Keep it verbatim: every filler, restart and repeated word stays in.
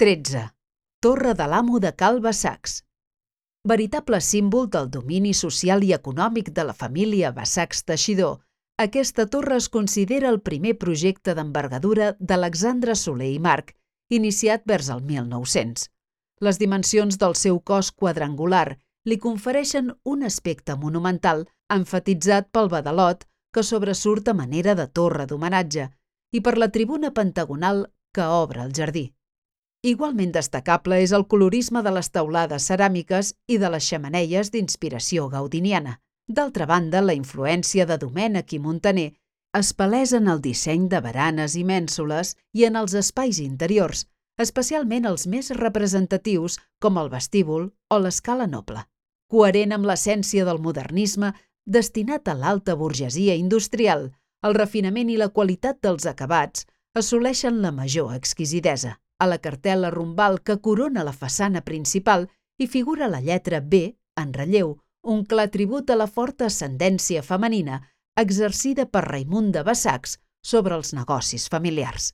tretze. Torre de l'Amo de Cal Bassacs. Veritable símbol del domini social i econòmic de la família Bassacs Teixidor, aquesta torre es considera el primer projecte d'envergadura d'Alexandre Soler i March, iniciat vers el mil nou-cents. Les dimensions del seu cos quadrangular li confereixen un aspecte monumental, emfatitzat pel badalot que sobresurt a manera de torre d'homenatge i per la tribuna pentagonal que obre el jardí. Igualment destacable és el colorisme de les teulades ceràmiques i de les xemeneies d'inspiració gaudiniana. D'altra banda, la influència de Domènech i Muntaner es palesa en el disseny de baranes i mènsules i en els espais interiors, especialment els més representatius com el vestíbul o l'escala noble. Coherent amb l'essència del modernisme destinat a l'alta burgesia industrial, el refinament i la qualitat dels acabats assoleixen la major exquisidesa. A la cartel·la rombal que corona la façana principal hi figura la lletra B, en relleu, un clar tribut a la forta ascendència femenina exercida per Raimon de Bassacs sobre els negocis familiars.